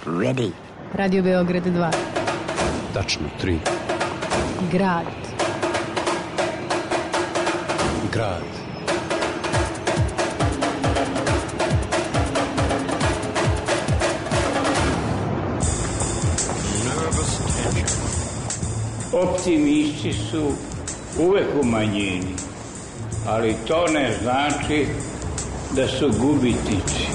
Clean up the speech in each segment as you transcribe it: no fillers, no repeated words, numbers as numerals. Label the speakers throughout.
Speaker 1: ready.
Speaker 2: Radio Beograd 2.
Speaker 3: Tačno 3.
Speaker 2: Grad.
Speaker 3: Grad.
Speaker 4: Optimisti su uvek u manjini, ali to ne znači da su gubitnici.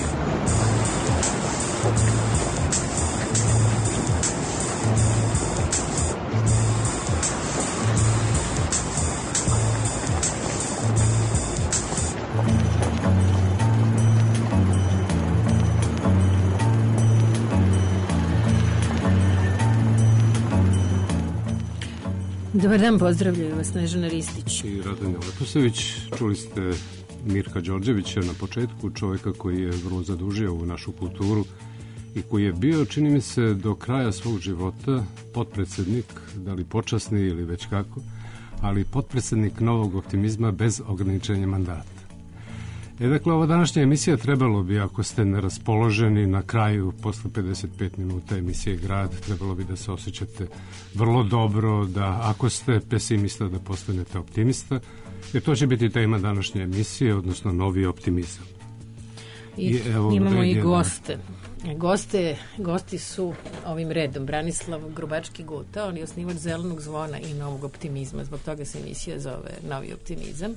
Speaker 2: Dobar dan, pozdravljaju vas Snežana Ristić
Speaker 3: i Radanja Leposević. Čuli ste Mirka Đorđevića na početku, čovjeka koji je vrlo zadužio ovu našu kulturu i koji je bio, čini mi se, do kraja svog života potpredsjednik, da li počasni ili već kako, ali potpredsjednik Novog optimizma bez ograničenja mandata. Dakle, ova današnja emisija trebalo bi, ako ste neraspoloženi na kraju, posle 55 minuta emisije Grad, trebalo bi da se osjećate vrlo dobro, da ako ste pesimista da postanete optimista, jer to će biti tema današnje emisije, odnosno novi optimizam.
Speaker 2: I evo, imamo i goste. Gosti su ovim redom Branislav Grubački-Guta, on je osnivač Zelenog zvona i Novog optimizma, zbog toga se emisija zove Novi optimizam.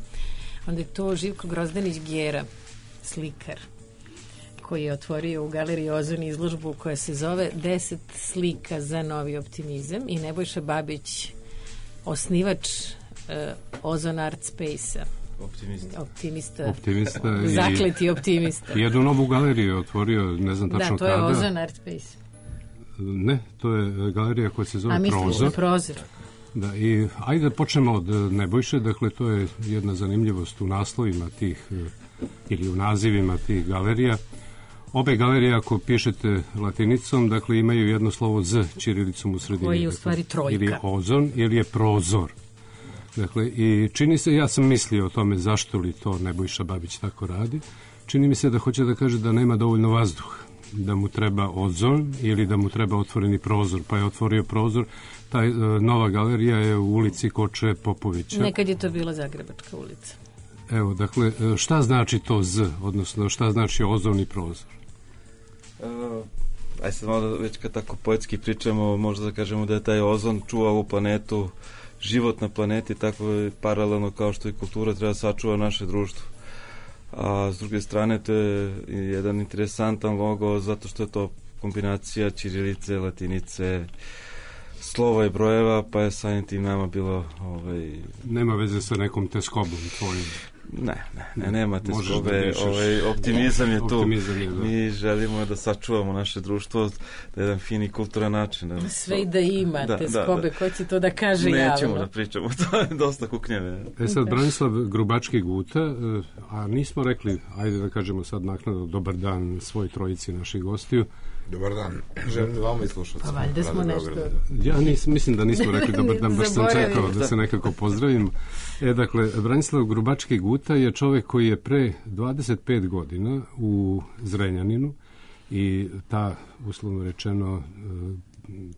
Speaker 2: Onda je to Živko Grozdanić-Gjera, slikar, koji je otvorio u Galeriji Ozon izložbu koja se zove 10 slika za novi optimizam, i Nebojša Babić, osnivač Ozon Art Space-a. Optimista zakleti optimista.
Speaker 3: Jednu novu galeriju je otvorio, ne znam tačno kada.
Speaker 2: Da, to je Ozon Art Space.
Speaker 3: Ne, to je galerija koja se zove Prozor.
Speaker 2: A misliš Prozor?
Speaker 3: Da, i ajde da počnemo od Nebojše, dakle to je jedna zanimljivost u naslovima tih, ili u nazivima tih galerija. Obe galerije, ako pišete latinicom, dakle imaju jedno slovo Z ćirilicom u sredini.
Speaker 2: Koji je u stvari trojka.
Speaker 3: Ili je Ozon, ili je Prozor. Dakle, i čini se, ja sam mislio o tome zašto li to Nebojša Babić tako radi. Čini mi se da hoće da kaže da nema dovoljno vazduha, da mu treba ozon ili da mu treba otvoreni prozor, pa je otvorio prozor. Ta nova galerija je u ulici Koče Popovića.
Speaker 2: Nekad je to bila Zagrebačka ulica.
Speaker 3: Evo, dakle, šta znači to Z, odnosno šta znači ozon i prozor?
Speaker 5: Aj sad malo već kad tako poetski pričamo, možda da kažemo da je taj ozon čuva ovu planetu, život na planeti, tako je paralelno kao što i kultura treba sačuva naše društvo. A s druge strane to je jedan interesantan logo zato što je to kombinacija ćirilice, latinice, slova i brojeva, pa je samim tim nama bilo...
Speaker 3: Nema veze sa nekom teskobom tvojim?
Speaker 5: Nema teskobe, optimizam je tu. Mi želimo da sačuvamo naše društvo na jedan fini kulturan način.
Speaker 2: Sve i da ima teskobe, ko će to da kaže javno?
Speaker 5: Nećemo da pričamo, to je dosta kuknjeve.
Speaker 3: Sad, Branislav Grubački-Guta, a nismo rekli, ajde da kažemo sad naknadno dobar dan svoj trojici naših gostiju.
Speaker 6: Dobar dan, želim da vama i slušati.
Speaker 2: Pa valjda smo nešto...
Speaker 3: Ja mislim da nismo rekli dobar dan, baš sam čekao da se nekako pozdravim. Dakle, Branislav Grubački-Guta je čovjek koji je pre 25 godina u Zrenjaninu i ta, uslovno rečeno,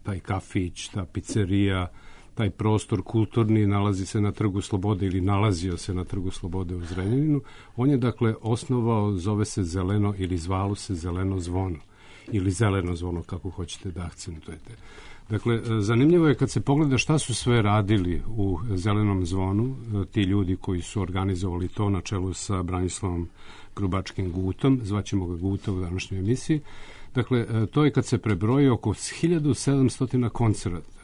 Speaker 3: taj kafić, ta pizzerija, taj prostor kulturni nalazi se na Trgu Slobode ili nalazio se na Trgu Slobode u Zrenjaninu. On je, dakle, osnovao, zove se Zeleno ili zvalo se Zeleno zvono ili Zeleno zvono, kako hoćete da akcentujete. Dakle, zanimljivo je kad se pogleda šta su sve radili u Zelenom zvonu, ti ljudi koji su organizovali to na čelu sa Branislavom Grubačkim-Gutom, zvaćemo ga Guta u današnjoj emisiji. Dakle, to je kad se prebroji oko 1700 koncerata,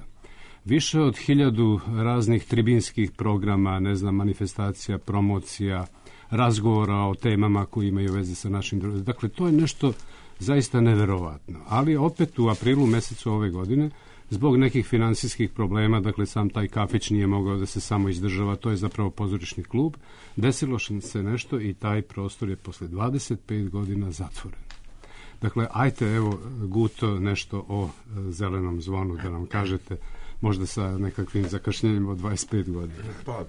Speaker 3: više od 1000 raznih tribinskih programa, manifestacija, promocija, razgovora o temama koji imaju veze sa našim društvom. Dakle, to je nešto zaista neverovatno. Ali opet u aprilu mesecu ove godine, zbog nekih finansijskih problema, dakle sam taj kafić nije mogao da se samo izdržava, to je zapravo pozorišni klub, desilo se nešto i taj prostor je posle 25 godina zatvoren. Dakle, ajte, evo, Guto, nešto o Zelenom zvonu da nam kažete, možda sa nekakvim zakašnjenjem od 25 godina.
Speaker 6: Pa,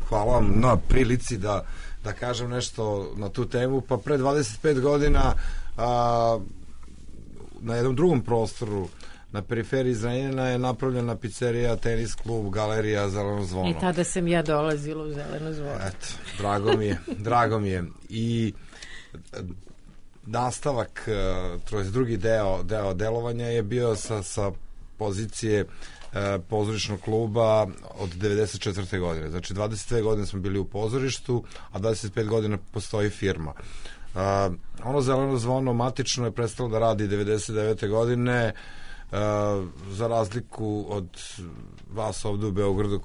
Speaker 6: hvala vam na prilici da kažem nešto na tu temu. Pa pre 25 godina na jednom drugom prostoru na periferiji Zrenjanina je napravljena pizzerija, tenis klub, galerija, Zeleno zvono.
Speaker 2: I tada sam ja dolazila u Zeleno zvono.
Speaker 6: Eto, drago mi je. I nastavak, drugi deo delovanja je bio sa pozicije pozorišnog kluba od 94. godine. Znači, 22 godine smo bili u pozorištu, a 25 godina postoji firma. Ono Zeleno zvono matično je prestalo da radi 99. godine, za razliku od vas ovde u Beogradu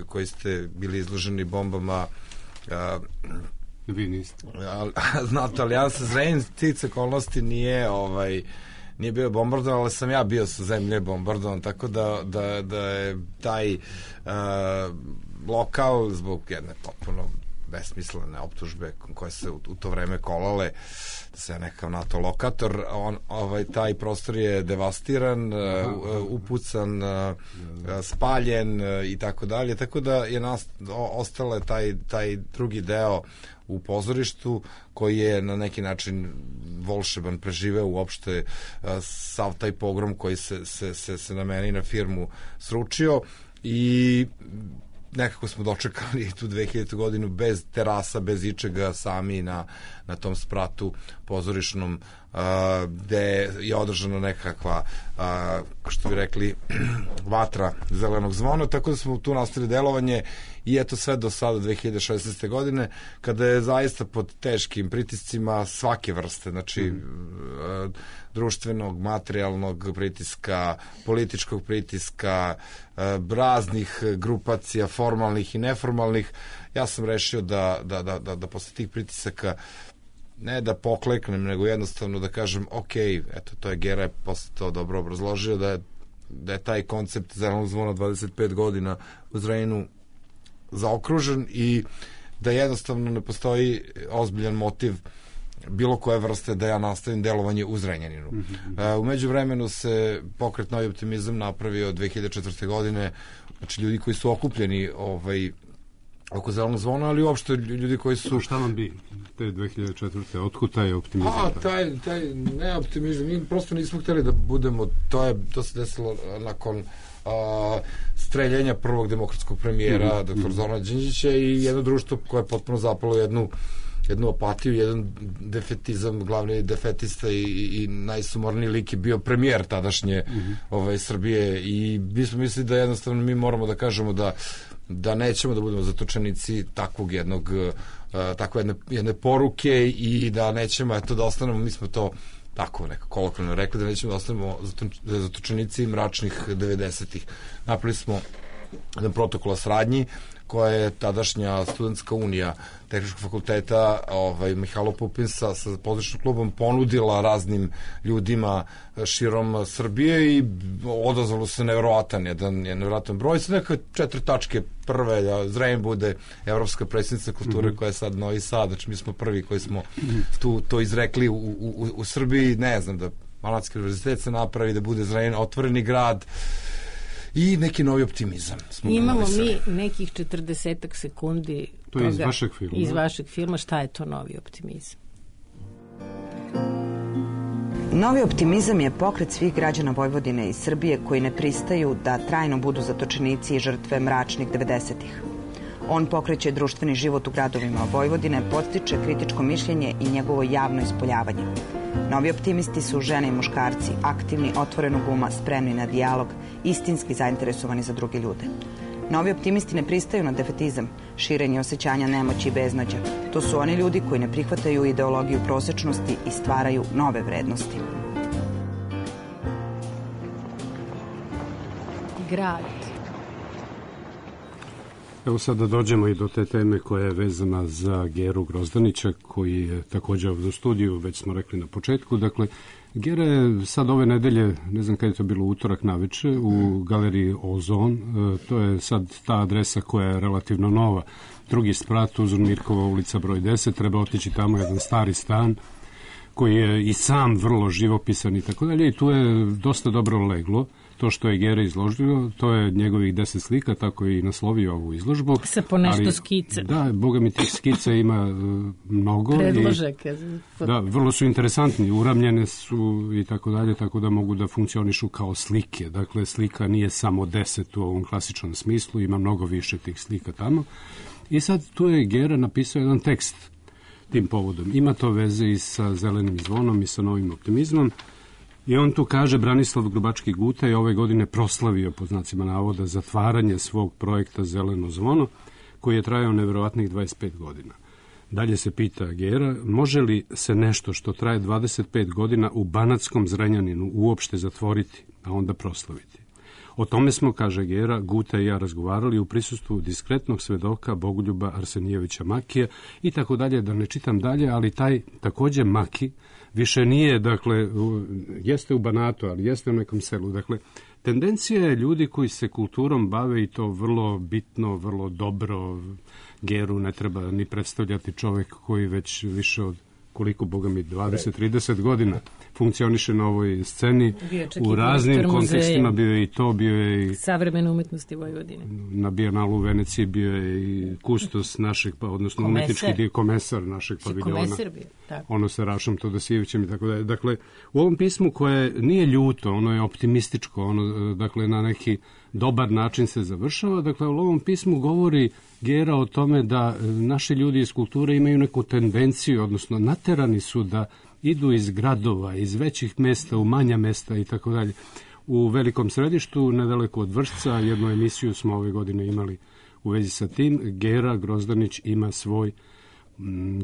Speaker 6: koji ste bili izloženi bombama.
Speaker 3: Vi niste.
Speaker 6: Znate, ali ja sa Zrenjanin tice okolnosti nije bio bombardovan, ali sam ja bio sa zemlje bombardovan, tako da je taj lokal zbog jedne potpuno besmislene optužbe koje se u to vreme kolale, da se nekakav NATO lokator, taj prostor je devastiran, upucan, spaljen i tako dalje, tako da je ostale taj drugi deo u pozorištu koji je na neki način volšeban, preživeo uopšte sav taj pogrom koji se na meni i na firmu sručio i nekako smo dočekali tu 2000. godinu bez terasa, bez ičega, sami na tom spratu pozorišnom gde je održana nekakva, što bi rekli, vatra Zelenog zvona, tako da smo tu nastavili delovanje i eto sve do sada 2016. godine, kada je zaista pod teškim pritiscima svake vrste, znači društvenog, materijalnog pritiska, političkog pritiska, raznih grupacija, formalnih i neformalnih. Ja sam rešio da posle tih pritisaka ne da pokleknem, nego jednostavno da kažem ok, eto, to je Gera posle to dobro obrazložio, da je taj koncept Zelenog zvona 25 godina u Zrenjaninu zaokružen i da jednostavno ne postoji ozbiljan motiv bilo koje vrste da ja nastavim delovanje u Zrenjaninu. U međuvremenu se pokret Novi optimizam napravio 2004. godine, znači ljudi koji su okupljeni oko Zelenog zvona, ali uopšte ljudi koji su...
Speaker 3: Šta vam bi te 2004. Otkud taj optimizam?
Speaker 6: Taj ne optimizam, mi prosto nismo hteli da budemo, to se desilo nakon streljenja prvog demokratskog premijera, dr. Zorana Đinđića, i jedno društvo koje je potpuno zapalo jednu apatiju, jedan defetizam, glavni defetista i najsumorniji lik je bio premijer tadašnje Srbije i mi smo mislili da jednostavno mi moramo da kažemo da nećemo da budemo zatočenici takvog takve jedne poruke i da nećemo da ostanemo, mi smo to tako nekako kolokvijalno rekli, da nećemo da ostanemo zatočenici mračnih 90-ih. Napravili smo jedan protokol o saradnji koja je tadašnja studentska unija Tehničkog fakulteta Mihajlo Pupin sa pozorišnim klubom ponudila raznim ljudima širom Srbije i odazvalo se nevjerovatan broj. Sa neka 4 tačke prve, da Zrenjanin bude evropska predsjednica kulture koja je sad Novi Sad, znači mi smo prvi koji smo to izrekli u Srbiji, ne znam, da Malatski univerzitet se napravi, da bude Zrenjanin otvoreni grad i neki novi optimizam.
Speaker 2: Imamo mi nekih 40 sekundi
Speaker 3: to je iz
Speaker 2: vašeg filma. Šta je to novi optimizam?
Speaker 1: Novi optimizam je pokret svih građana Vojvodine i Srbije koji ne pristaju da trajno budu zatočenici i žrtve mračnih 90-ih. On pokreće društveni život u gradovima Vojvodine, podstiče kritičko mišljenje i njegovo javno ispoljavanje. Novi optimisti su žene i muškarci, aktivni, otvorenog uma, spremni na dijalog, istinski zainteresovani za druge ljude. Novi optimisti ne pristaju na defetizam, širenje osjećanja nemoći i beznađa. To su oni ljudi koji ne prihvataju ideologiju prosečnosti i stvaraju nove vrednosti.
Speaker 2: Grad.
Speaker 3: Evo sad da dođemo i do te teme koja je vezana za Geru Grozdanića, koji je također ovdje u studiju, već smo rekli na početku. Dakle, Gera je sad ove nedelje, ne znam kada je to bilo, utorak naveče, u galeriji Ozon. To je sad ta adresa koja je relativno nova. Drugi sprat, Uzur Mirkova ulica broj 10, treba otići tamo, jedan stari stan koji je i sam vrlo živopisan i tako dalje, i tu je dosta dobro leglo to što je Gera izložio, to je njegovih 10 slika, tako i naslovio ovu izložbu.
Speaker 2: Sa po nešto skice.
Speaker 3: Da, boga mi tih skica ima mnogo.
Speaker 2: Predložak.
Speaker 3: Da, vrlo su interesantni, uramljene su i tako dalje, tako da mogu da funkcionišu kao slike. Dakle, slika nije samo 10 u ovom klasičnom smislu, ima mnogo više tih slika tamo. I sad tu je Gera napisao jedan tekst tim povodom. Ima to veze i sa Zelenim zvonom i sa Novim optimizmom. I on tu kaže, Branislav Grubački Guta je ove godine proslavio, po znacima navoda, zatvaranje svog projekta Zeleno zvono, koji je trajao neverovatnih 25 godina. Dalje se pita Gera, može li se nešto što traje 25 godina u Banatskom Zrenjaninu uopšte zatvoriti, a onda proslaviti? O tome smo, kaže Gera, Guta i ja razgovarali u prisustvu diskretnog svedoka Bogoljuba Arsenijevića Makija i tako dalje, da ne čitam dalje, ali taj takođe Maki više nije, dakle, jeste u Banatu, ali jeste u nekom selu. Dakle, tendencija je ljudi koji se kulturom bave i to vrlo bitno, vrlo dobro. Geru ne treba ni predstavljati, čovek koji već više od koliko, boga mi, 20-30 godina funkcioniše na ovoj sceni. U raznim kontekstima bio je i to, bio je i
Speaker 2: savremene umetnosti Vojvodine.
Speaker 3: Na Bijenalu u Veneciji bio je i kustos našeg, odnosno umetnički komesar našeg paviljona.
Speaker 2: Komesar bio, tako.
Speaker 3: Ono sa Rašom Todosijevićem i tako dalje. Dakle, u ovom pismu koje nije ljuto, ono je optimističko, ono, dakle, na neki dobar način se završava. Dakle, u ovom pismu govori Gera o tome da naši ljudi iz kulture imaju neku tendenciju, odnosno naterani su da idu iz gradova, iz većih mesta u manja mesta i tako dalje. U Velikom Središtu, nedaleko od Vršca, jednu emisiju smo ove godine imali u vezi sa tim. Gera Grozdanić ima svoj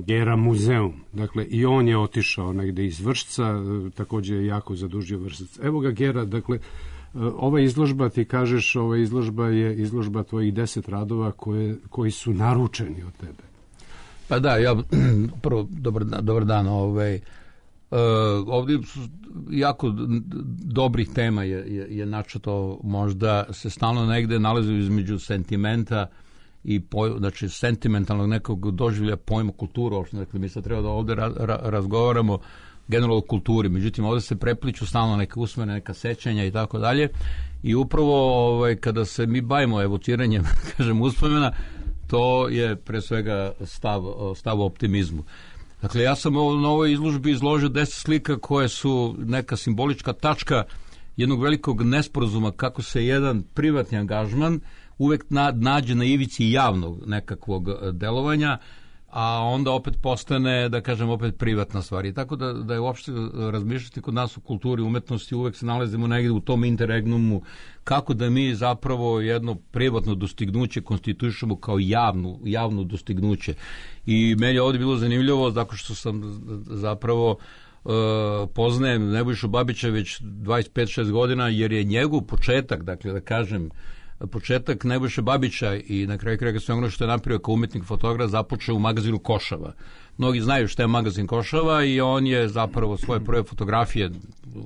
Speaker 3: Gera muzeum. Dakle, i on je otišao negde iz Vršca, takođe je jako zadužio Vršac. Evo ga Gera, dakle, ova izložba, ti kažeš, ova izložba je izložba tvojih 10 radova koji su naručeni od tebe.
Speaker 7: Pa da, ja prvo, dobar dan, ovdje su jako dobrih tema je načeto, možda se stalno negde nalazi između sentimenta i znači sentimentalnog nekog doživlja pojma kulturu. Dakle, mi sad treba da ovde razgovaramo generalno o kulturi, međutim ovde se prepliču stalno neka usmene, neka sećanja i tako dalje, i upravo kada se mi bavimo evociranjem, kažem, uspomena, to je pre svega stav o optimizmu. Dakle, ja sam na ovoj izložbi izložio 10 slika koje su neka simbolička tačka jednog velikog nesporazuma kako se jedan privatni angažman uvek nađe na ivici javnog nekakvog delovanja, a onda opet postane, da kažem, opet privatna stvar. I tako da je uopšte razmišljati kod nas u kulturi, umetnosti, uvek se nalazimo negde u tom interregnumu, kako da mi zapravo jedno privatno dostignuće konstituišemo kao javno dostignuće. I meni je ovdje bilo zanimljivo, zato što sam zapravo poznajem Nebojšu Babića već 25-6 godina, jer je njegov početak, dakle da kažem, početak Nebojše Babića i na kraju kraja sve ono što je napravio kao umetnik fotograf započeo u magazinu Košava. Mnogi znaju šta je magazin Košava i on je zapravo svoje prve fotografije,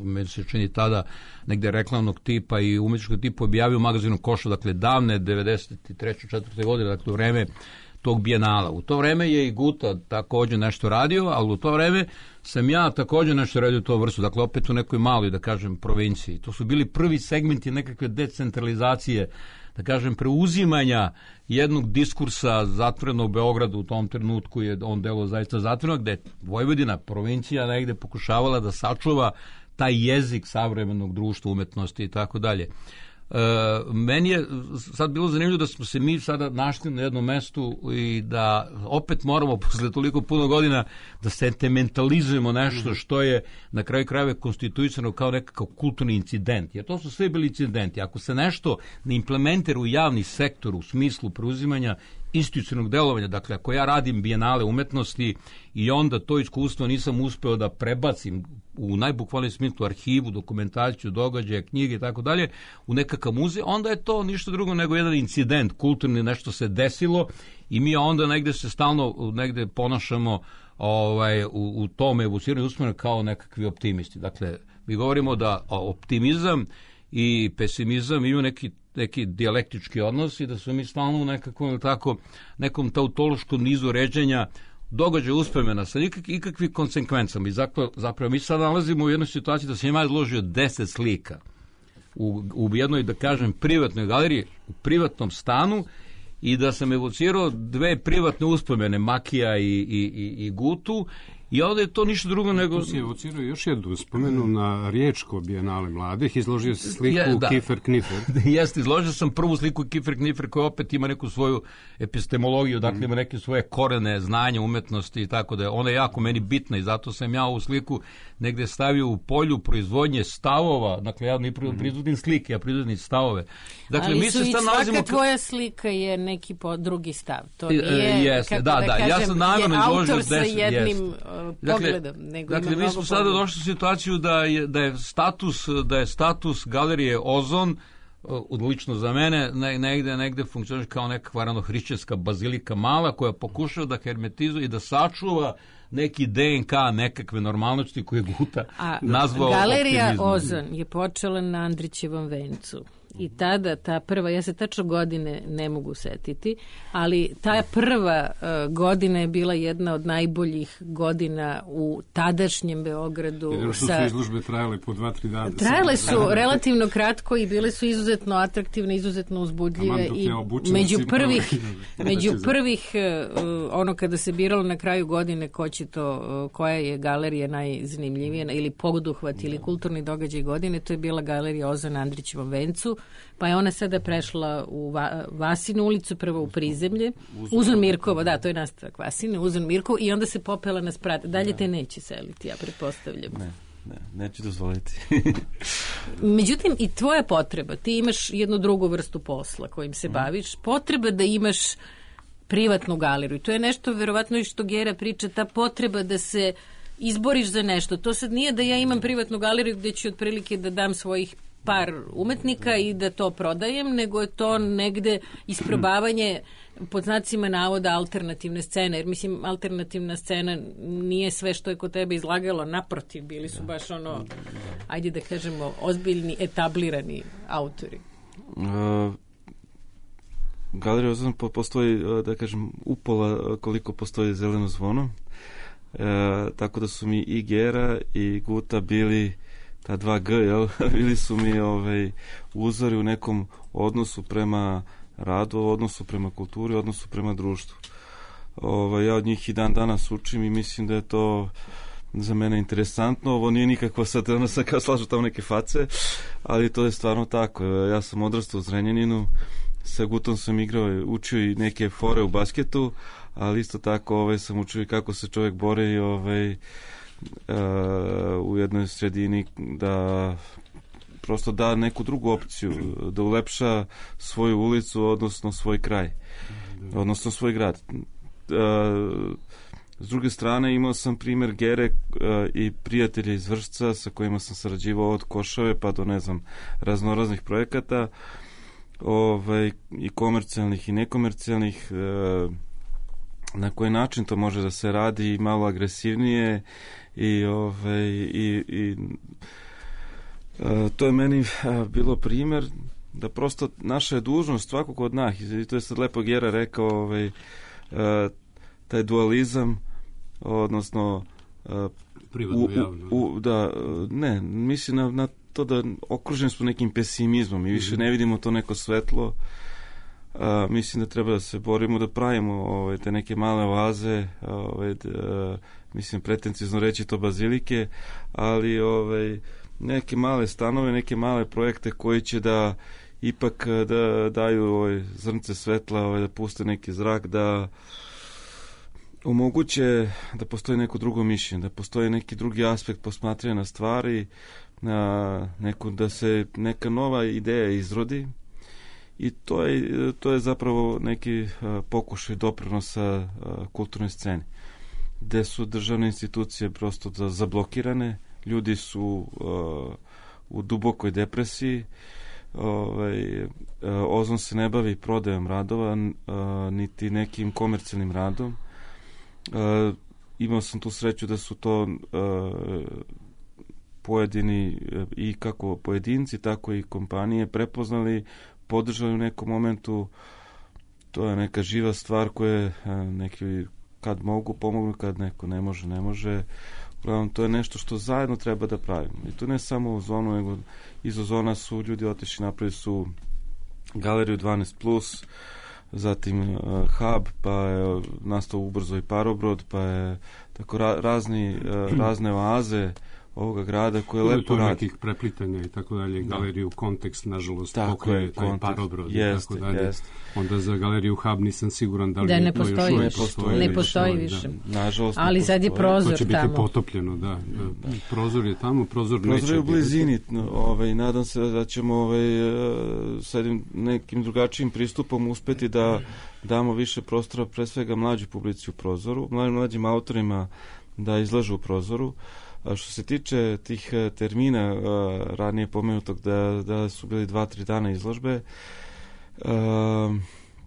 Speaker 7: meni se čini tada negde reklamnog tipa i umetničkog tipa, objavio u magazinu Košava, dakle davne 93. 4. godine, dakle u vreme tog bijenala. U to vreme je i Guta takođe nešto radio, ali u to vreme sam ja takođe nešto radio u to vrstu, dakle opet u nekoj maloj, da kažem, provinciji. To su bili prvi segmenti nekakve decentralizacije, da kažem, preuzimanja jednog diskursa zatvorenog u Beogradu. U tom trenutku je on delo zaista zatvoreno, gde Vojvodina, provincija, negde pokušavala da sačuva taj jezik savremenog društva, umetnosti i tako dalje. Meni je sad bilo zanimljivo da smo se mi sada našli na jednom mestu i da opet moramo posle toliko puno godina da sentimentalizujemo nešto što je na kraju krajeva konstituisano kao nekakav kulturni incident, jer to su sve bili incidenti. Ako se nešto ne implementira u javni sektor u smislu preuzimanja institucionalnog delovanja, dakle ako ja radim bijenale umetnosti i onda to iskustvo nisam uspeo da prebacim u najbukvalnijem smislu arhivu, dokumentaciju, događaje, knjige i tako dalje u nekakav muzej, onda je to ništa drugo nego jedan incident kulturni, nešto se desilo i mi onda negde se stalno negde ponašamo u tome evociranju uspomena kao nekakvi optimisti. Dakle, mi govorimo da optimizam i pesimizam imaju neki dijalektički odnos i da su mi stalno u nekom tautološkom nizu ređenja događaj uspomena sa ikakvim konsekvencama. I zapravo mi sad nalazimo u jednoj situaciji da sam ja izložio 10 slika u jednoj, da kažem, privatnoj galeriji, u privatnom stanu, i da sam evocirao 2 privatne uspomene, Makija i Gutu, i onda je to ništa drugo nego...
Speaker 3: Tu si evocirao još jednu uspomenu na Riječko bijenale mladih, izložio si sliku Kiefer Kniffer.
Speaker 7: Jeste, izložio sam prvu sliku Kiefer Kniffer, koja opet ima neku svoju epistemologiju, dakle ima neke svoje korene, znanja, umetnosti i tako da je ona jako meni bitna, i zato sam ja ovu sliku negde stavio u polju proizvodnje stavova, dakle ja ne proizvodim slike, ja proizvodim stavove. Dakle,
Speaker 2: ali
Speaker 7: mi se sad nalazimo...
Speaker 2: svaka tvoja slika je neki drugi stav. To nije,
Speaker 7: jeste, kažem, ja sam namerno izložio 10...
Speaker 2: autor sa jednim pogledom, nego
Speaker 7: dakle, mi smo sada došli u situaciju da je status galerije Ozon, lično za mene, negde funkcioniše kao nekakva ranohrišćanska bazilika mala, koja pokušava da hermetizuje i da sačuva neki DNK nekakve normalnosti koje Guta nazvao
Speaker 2: galerija
Speaker 7: optimizmom.
Speaker 2: Ozon je počela na Andrićevom vencu. I tada, ta prva, ja se tačno godine ne mogu setiti, ali ta prva godina je bila jedna od najboljih godina u tadašnjem Beogradu.
Speaker 3: Jedino što su izložbe trajale po 2-3 dana.
Speaker 2: Trajale su relativno kratko i bile su izuzetno atraktivne, izuzetno uzbudljive. I među prvih, ono kada se biralo na kraju godine koja je galerija najzanimljivija ili poduhvat ili kulturni događaj godine, to je bila galerija Ozon na Andrićevom vencu, pa je ona sada prešla u Vasinu ulicu, prvo u Prizemlje, Uzun Mirkovo, da, to je nastavak Vasine, Uzun Mirkovo, i onda se popela na sprat. Dalje te neće seliti, ja pretpostavljam.
Speaker 5: Neću dozvoliti.
Speaker 2: Međutim, i tvoja potreba, ti imaš jednu drugu vrstu posla kojim se baviš, potreba da imaš privatnu galeriju. To je nešto, verovatno, i što Gera priča, ta potreba da se izboriš za nešto. To sad nije da ja imam privatnu galeriju gde ću otprilike da dam svojih par umetnika i da to prodajem, nego je to negde isprobavanje pod znacima navoda alternativne scene, jer mislim alternativna scena nije sve što je kod tebe izlagalo, naprotiv, bili su baš ono, ajde da kažemo, ozbiljni, etablirani autori.
Speaker 5: Galerija Ozon postoji, da kažem, upola koliko postoji Zeleno zvono, tako da su mi i Gera i Guta bili ta 2G, jel? Bili su mi uzori u nekom odnosu prema radu, odnosu prema kulturi, odnosu prema društvu. Ja od njih i dan danas učim i mislim da je to za mene interesantno. Ovo nije nikakva sad, ono sam kao slažu tamo neke face, ali to je stvarno tako. Ja sam odrastao u Zrenjaninu, sa Gutom sam igrao, učio i neke fore u basketu, ali isto tako sam učio i kako se čovjek bori u jednoj sredini da prosto da neku drugu opciju, da ulepša svoju ulicu, odnosno svoj kraj, odnosno svoj grad. S druge strane, imao sam primjer Gere i prijatelja iz Vršca sa kojima sam sarađivao od Košave pa do, ne znam, raznoraznih projekata, i komercijalnih i nekomercijalnih, na koji način to može da se radi malo agresivnije i to je meni bilo primjer da prosto naša je dužnost svakog od nas, i to je sad lepo Gera rekao, taj dualizam, odnosno
Speaker 3: privatno javno.
Speaker 5: Mislim na to da okruženi smo nekim pesimizmom i više ne vidimo to neko svetlo. Mislim da treba da se borimo, da pravimo te neke male oaze, mislim pretenciozno reći to bazilike, ali neke male stanove, neke male projekte koji će da ipak da daju zrnce svetla, da puste neki zrak, da omoguće da postoji neko drugo mišljenje, da postoji neki drugi aspekt posmatranja na stvari, da se neka nova ideja izrodi. I to je zapravo neki pokušaj doprinosa kulturnoj sceni, gde su državne institucije prosto zablokirane, ljudi su u dubokoj depresiji, Ozon se ne bavi prodajom radova, niti nekim komercijalnim radom. Imao sam tu sreću da su to pojedini, i kako pojedinci, tako i kompanije prepoznali, podržali u nekom momentu. To je neka živa stvar koja je neki kad mogu pomognu, kad neko ne može. Uglavnom, to je nešto što zajedno treba da pravimo. I to ne samo u Ozonu, nego iz Ozona su ljudi otišli, napravili su galeriju 12+, zatim Hub, pa je nastao ubrzo i Parobrod, pa je tako razne oaze ovoga grada koje lepo radi.
Speaker 3: Nekih preplitanja i tako dalje, galeriju Kontekst, nažalost, pokoj taj Parobrod i tako dalje. Onda za galeriju Hub nisam siguran da li
Speaker 2: ne postoji. Ne postoji više.
Speaker 5: Nažalost,
Speaker 2: ali sad je prozor tamo.
Speaker 3: To će biti potopljeno, da. Prozor je tamo, prozor neće.
Speaker 5: Prozor je u blizini. Nadam se da ćemo sa nekim drugačijim pristupom uspeti da damo više prostora, pre svega mlađoj publici u prozoru, mlađim autorima da izlažu u prozoru. A što se tiče tih termina ranije pomenutog da su bili 2-3 dana izložbe,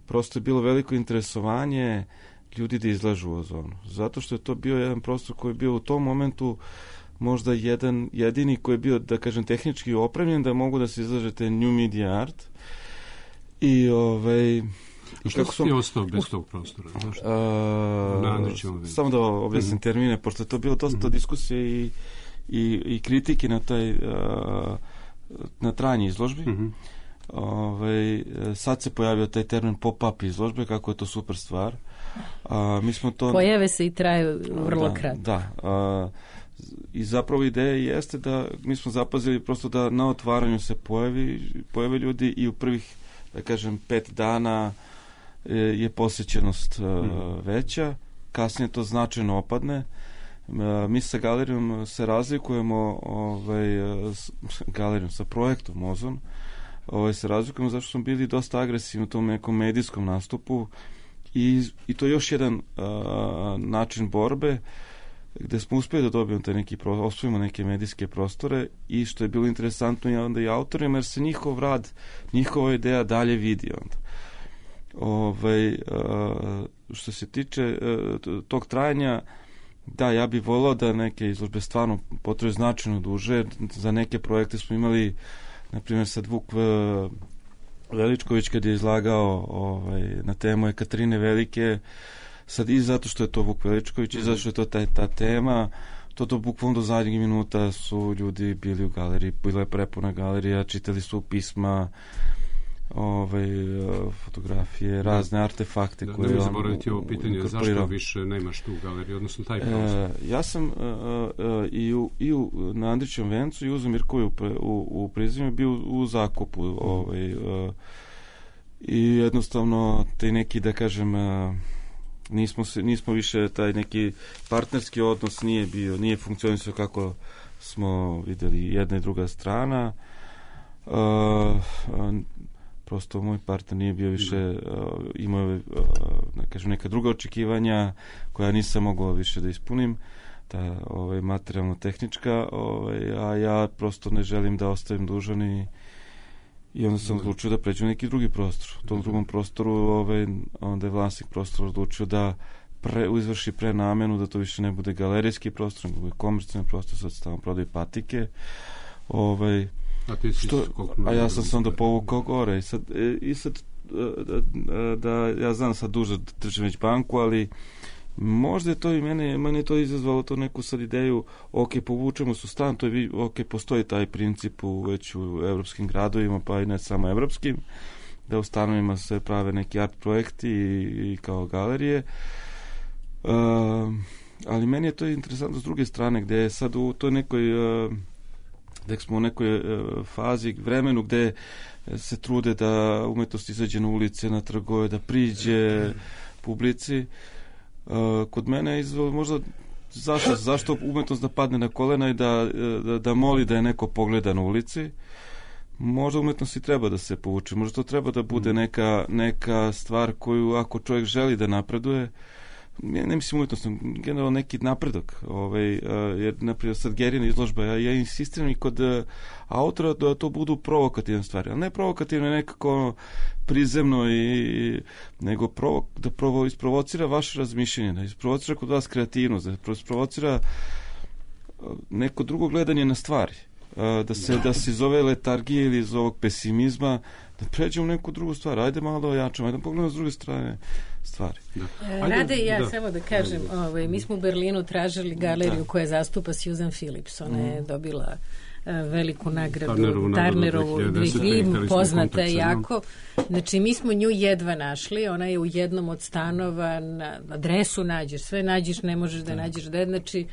Speaker 5: prosto je bilo veliko interesovanje ljudi da izlažu u Ozonu. Zato što je to bio jedan prostor koji je bio u tom momentu možda jedini koji je bio, da kažem, tehnički opremljen da mogu da se izlažete new media art. I
Speaker 3: I što si ti ostao bez tog prostora?
Speaker 5: Samo da objasnim termine, pošto je to bilo dosta diskusije i kritike na trajanje izložbi. Sad se pojavio taj termin pop-up izložbe, kako je to super stvar. Mi smo to...
Speaker 2: Pojave se i traju vrlo kratko.
Speaker 5: Da. I zapravo ideja jeste da mi smo zapazili prosto da na otvaranju se pojave ljudi i u prvih, da kažem, 5 dana je posjećenost veća, kasnije to značajno opadne. Mi sa galerijom se razlikujemo galerijom, sa projektom Ozon, se razlikujemo zato što smo bili dosta agresivni u tom nekom medijskom nastupu i to je još jedan način borbe gde smo uspeli da dobijemo osvojimo neke medijske prostore i što je bilo interesantno i onda i autorima, jer se njihov rad, njihova ideja dalje vidi onda. Što se tiče tog trajanja, da, ja bih volao da neke izložbe stvarno potraju značajno duže. Za neke projekte smo imali, na primjer, sad Vuk Veličković kad je izlagao na temu Ekaterine Velike, sad i zato što je to Vuk Veličković i zato što je to ta tema, to bukvalno do zadnjeg minuta su ljudi bili u galeriji, bila je prepuna galerija, čitali su pisma, fotografije, razne artefakte koje
Speaker 3: ne zaboraviti ovo pitanje, zašto više nemaš tu galeriju, odnosno taj prostor?
Speaker 5: Ja sam na Andrićevom vencu i u Mirkovi u Prizrenju bio u zakupu i jednostavno taj neki, da kažem, nismo više, taj neki partnerski odnos nije funkcionisao kako smo videli jedna i druga strana. Prosto moj partner nije bio više, imao neka druga očekivanja koja nisam mogao više da ispunim, ta materijalno-tehnička, a ja prosto ne želim da ostavim dužan i onda sam odlučio da pređem neki drugi prostor. U tom drugom prostoru onda je vlasnik prostora odlučio da izvrši prenamenu, da to više ne bude galerijski prostor, nego bude komercijalni prostor, sad se tamo prodaju patike. A ja sam se onda povukao gore i sad da ja znam sad duže držim već banku, ali možda je to i mene to izazvalo to neku sad ideju, povučemo se u stan, to je postoji taj princip već u evropskim gradovima, pa i ne samo evropskim, da u stanovima se prave neki art projekti i kao galerije, ali meni je to interesantno s druge strane, gde je sad u toj nekoj da smo u nekoj fazi, vremenu gde se trude da umetnost izađe na ulice, na trgove, da priđe publici. Kod mene je izvalo možda zašto umetnost da padne na kolena i da moli da je neko pogleda na ulici. Možda umetnost i treba da se povuče, možda to treba da bude neka stvar koju ako čovjek želi da napreduje, ne mislim umetnost, generalno neki napredak, jer naprijed sad Gerina izložba, ja insistiram i kod autora da to budu provokativne stvari, ali ne provokativne nekako prizemno nego da isprovocira vaše razmišljenje, da isprovocira kod vas kreativnost, da isprovocira neko drugo gledanje na stvari, da se iz ove letargije ili iz ovog pesimizma da pređemo u neku drugu stvar, ajde malo da ojačamo, ajde da pogledamo s druge strane stvari.
Speaker 2: Rade i ja samo da kažem, mi smo u Berlinu tražili galeriju koja zastupa Susan Phillips, ona je dobila veliku nagradu Turnerovu 2000, poznata je jako. Znači, mi smo nju jedva našli, ona je u jednom od stanova, na adresu nađeš, sve nađeš, ne možeš da nađeš znači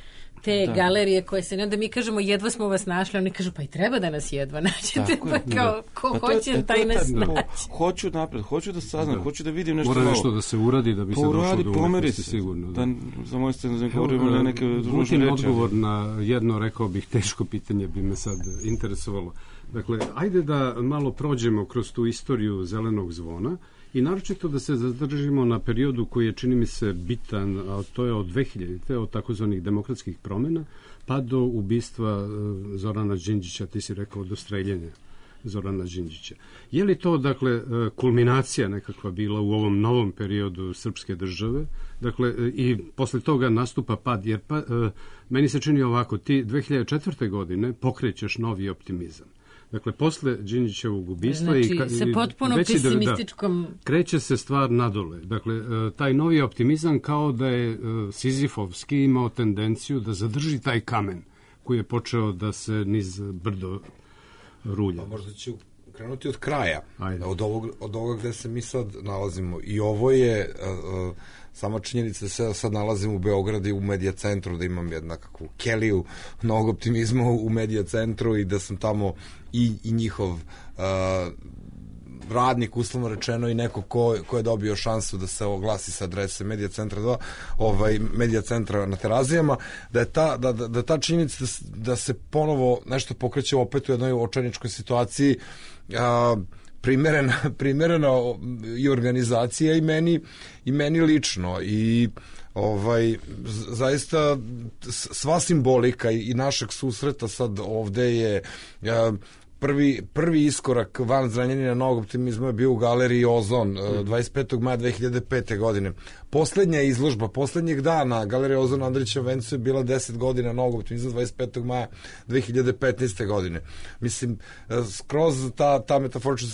Speaker 2: te galerije koje se, onda mi kažemo jedva smo vas našli, oni kažu pa i treba da nas jedva nađete, pa kao ko hoće taj nas naći.
Speaker 5: Hoću napred, hoću da saznam, hoću da vidim nešto
Speaker 3: novo. Mora nešto da se uradi da bi se došlo do umetnosti, sigurno.
Speaker 5: Da, za moje strane govorimo neke ružne reči.
Speaker 3: Odgovor na jedno, rekao bih, teško pitanje bi me sad interesovalo. Dakle, ajde da malo prođemo kroz tu istoriju Zelenog zvona i naročito da se zadržimo na periodu koji je, čini mi se, bitan, a to je od 2000-te, od takozvanih demokratskih promjena, pa do ubistva Zorana Đinđića, ti si rekao do streljenja Zorana Đinđića. Je li to, dakle, kulminacija nekakva bila u ovom novom periodu srpske države? Dakle, i posle toga nastupa pad, jer meni se čini ovako, ti 2004. godine pokrećeš novi optimizam. Dakle, posle Đinđićevog ubistva
Speaker 2: znači, sa potpuno pesimističkom...
Speaker 3: kreće se stvar nadole. Dakle, taj novi optimizam kao da je Sizifovski imao tendenciju da zadrži taj kamen koji je počeo da se niz brdo rulja.
Speaker 6: Pa možda ću krenuti od kraja, od ovoga gde se mi sad nalazimo. I ovo je... sama činjenica da se sad nalazim u Beogradu i u medija centru, da imam jednakakvu keliju novog optimizma u medija centru i da sam tamo i njihov radnik, uslovno rečeno, i neko ko je dobio šansu da se oglasi sa adrese Medija centra 2, Medija centra na Terazijama, da je ta činjenica da se ponovo nešto pokreće opet u jednoj očajničkoj situaciji, primerena i organizacija i meni lično i zaista sva simbolika i našeg susreta sad ovde je prvi iskorak van Zrenjanina novog optimizma je bio u galeriji Ozon 25. maja 2005. godine. Poslednja izložba, poslednjeg dana galerija Ozon Andrića Vencu je bila 10 godina novog optimizma 25. maja 2015. godine. Mislim, skroz ta metaforična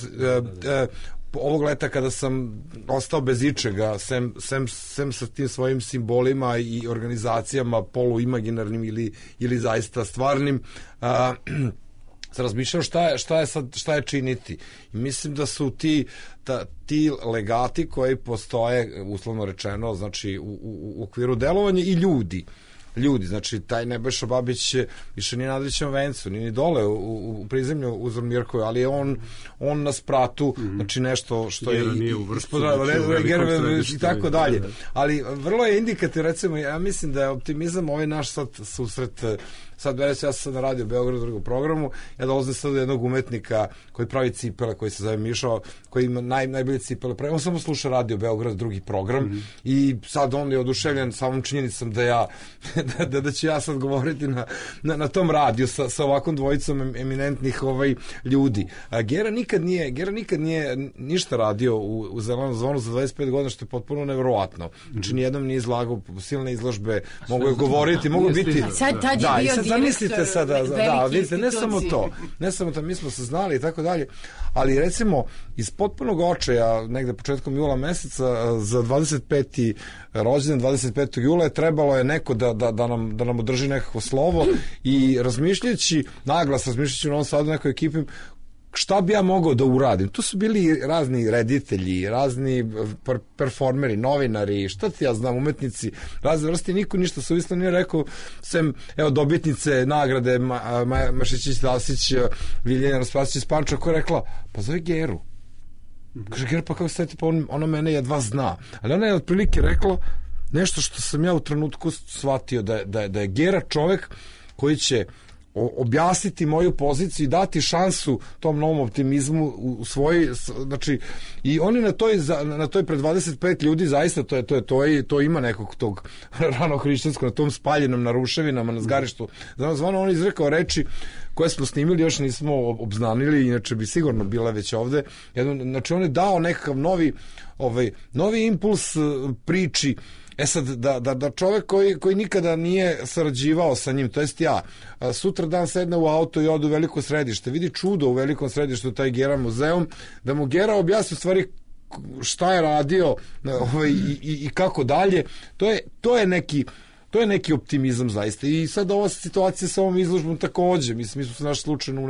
Speaker 6: ovog leta kada sam ostao bez ičega, sem sa tim svojim simbolima i organizacijama poluimaginarnim ili zaista stvarnim, se razmišljam šta je činiti. I mislim da su ti legati koji postoje, uslovno rečeno, znači u okviru delovanja i ljudi, znači taj Nebojša Babić više nije na Andrićevom vencu, nije ni dole u prizemlju Uzor Mirkovi, ali je on na spratu, znači nešto što je ispod i tako dalje. Ali vrlo je indikativ, recimo, ja mislim da je optimizam ovaj naš sad susret. Sad, ja sam sad na radio Beogradu drugom programu, ja dolazim sad do jednog umetnika koji pravi cipele, koji se zove Mišo, koji ima najbolje cipele. On samo sluša radio Beograd, drugi program, i sad on je oduševljen samom činjenicom da ću ja sad govoriti na tom radiju sa ovakvom dvojicom eminentnih ljudi. Gera nikad nije ništa radio u Zelenom zvonu za 25 godina, što je potpuno neverovatno. Znači, nijednom nije izlagao silne izložbe, mogu je govoriti, mogu biti... Zamislite sada, vidite, ne samo to, mi smo se znali i tako dalje, ali recimo iz potpunog očaja, negde početkom jula meseca, za 25. rođendan 25. jula je trebalo je neko da nam održi nekako slovo i razmišljajući u Novom Sadu nekoj ekipi, šta bi ja mogao da uradim? Tu su bili razni reditelji, razni performeri, novinari, šta ti ja znam, umetnici, razne vrste, niko ništa suvislo nije rekao, sem, evo, dobitnice nagrade Maja Mašićić-Dasić, Viljena Raspasić iz Panča, koja je rekla, pa zove Geru. Kaže, Gera, pa kako ste, pa ona mene jedva zna. Ali ona je otprilike rekla nešto što sam ja u trenutku shvatio, da je Gera čovek koji će objasniti moju poziciju i dati šansu tom novom optimizmu u svoj, znači, i oni na toj pred 25 ljudi zaista to ima nekog tog ranohrišćanskog, na tom spaljenom, na ruševinama, na zgarištu. Zvano on izrekao reči koje smo snimili, još nismo obznanili, inače bi sigurno bila već ovde. Znači, on je dao nekakav novi impuls priči sad, da čovek koji nikada nije sarađivao sa njim, to jest ja, sutra dan sedne u auto i ode u veliko središte, vidi čudo u velikom središtu, taj Gera muzeum, da mu Gera objasni u stvari šta je radio i kako dalje, to je neki optimizam zaista. I sad ova situacija sa ovom izložbom takođe, mi smo se našli slučajno u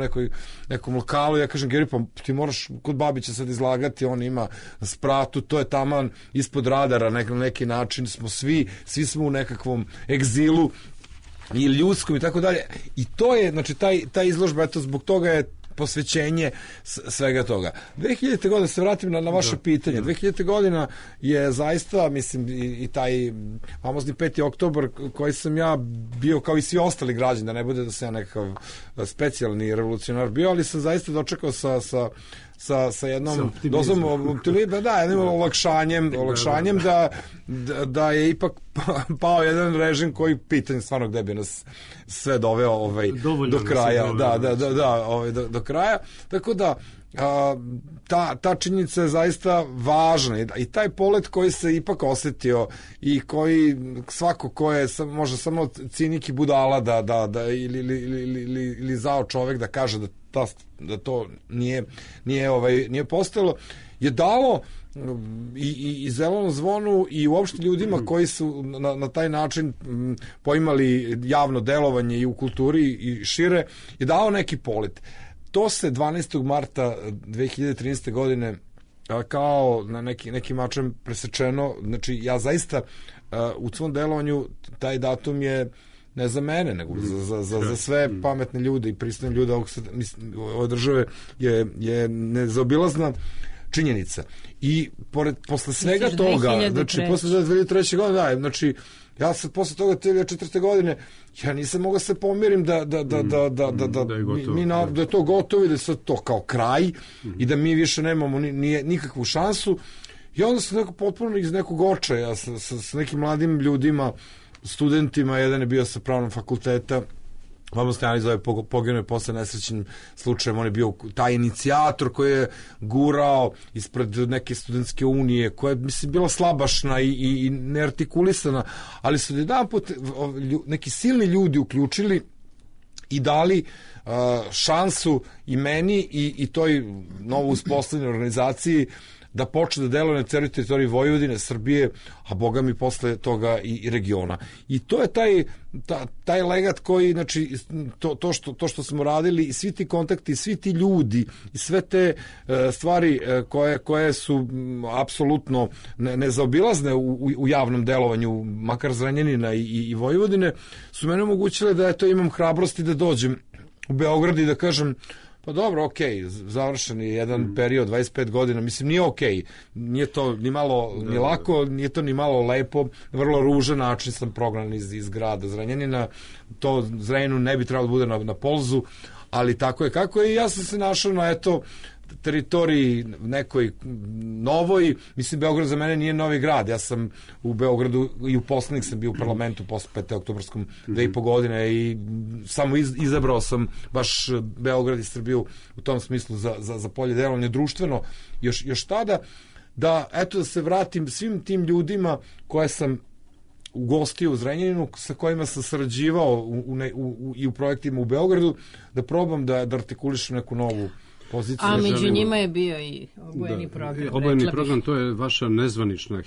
Speaker 6: nekom lokalu, ja kažem Geri, pa ti moraš kod Babića sad izlagati, on ima spratu, to je taman ispod radara, na neki način smo svi smo u nekakvom egzilu i ljudskom i tako dalje. I to je, znači, ta izložba, eto, zbog toga je posvećenje svega toga. 2000. godina, se vratim na vaše pitanje, 2000. godina je zaista, mislim, i taj famozni 5. oktobar koji sam ja bio kao i svi ostali građani, da ne bude da sam ja nekakav specijalni revolucionar bio, ali sam zaista dočekao sa jednom dozom jednim olakšanjem da je ipak pao jedan režim koji pitanje stvarno gde bi nas sve doveo do kraja. Do kraja. Tako da ta činjenica je zaista važna i taj polet koji se ipak osetio i koji svako ko je možda samo cinik i budala ili zao čovek da kaže da to nije postojalo, je dalo i Zelenom zvonu i uopšte ljudima koji su na taj način poimali javno delovanje i u kulturi i šire, je dao neki polet. To se 12. marta 2013. godine kao na neki način presečeno, znači ja zaista u svom delovanju taj datum je ne za mene, nego za sve pametne ljude i pristojne ljude ove države je nezaobilazna činjenica. I posle svega toga, znači posle 2003. godine, znači ja sam posle toga 2004. godine, ja nisam mogao se pomirim da je to gotovo i da je sad to kao kraj i da mi više nemamo nikakvu šansu. I onda sam potpuno iz nekog očaja sa nekim mladim ljudima, studentima, jedan je bio sa pravnog fakulteta, Vamo Stojanović zove, poginuo je posle nesrećnim slučajem, on je bio taj inicijator koji je gurao ispred neke studentske unije, koja je, mislim, bila slabašna i neartikulisana, ali su jedan put neki silni ljudi uključili i dali šansu i meni i toj novo uspostavljenoj organizaciji da počne da deluje na celoj teritoriji Vojvodine, Srbije, a boga mi posle toga i regiona. I to je taj legat koji, znači, to što smo radili i svi ti kontakti, svi ti ljudi i sve te stvari koje su apsolutno nezaobilazne u javnom delovanju, makar Zrenjanina i Vojvodine, su mene omogućile da imam hrabrosti da dođem u Beograd i da kažem, pa dobro, okej, završen je jedan period, 25 godina, mislim, nije okej, nije to ni malo ni lako, nije to ni malo lepo, vrlo ružan način sam prognan iz grada Zrenjanina, to Zrenjaninu ne bi trebalo da bude na polzu, ali tako je kako je i ja sam se našao na, teritoriji nekoj novoj, mislim, Beograd za mene nije novi grad, ja sam u Beogradu i u poslanik sam bio u parlamentu posle 5. oktobarskom 2,5 godine i samo izabrao sam baš Beograd i Srbiju u tom smislu za polje delovanja društveno još tada, da se vratim svim tim ljudima koje sam ugostio u Zrenjaninu, sa kojima sam sarađivao i u projektima u Beogradu, da probam da artikulišem neku novu poziciju.
Speaker 2: A među njima je bio i obojeni program.
Speaker 3: Obojeni program, to je vaša nezvanična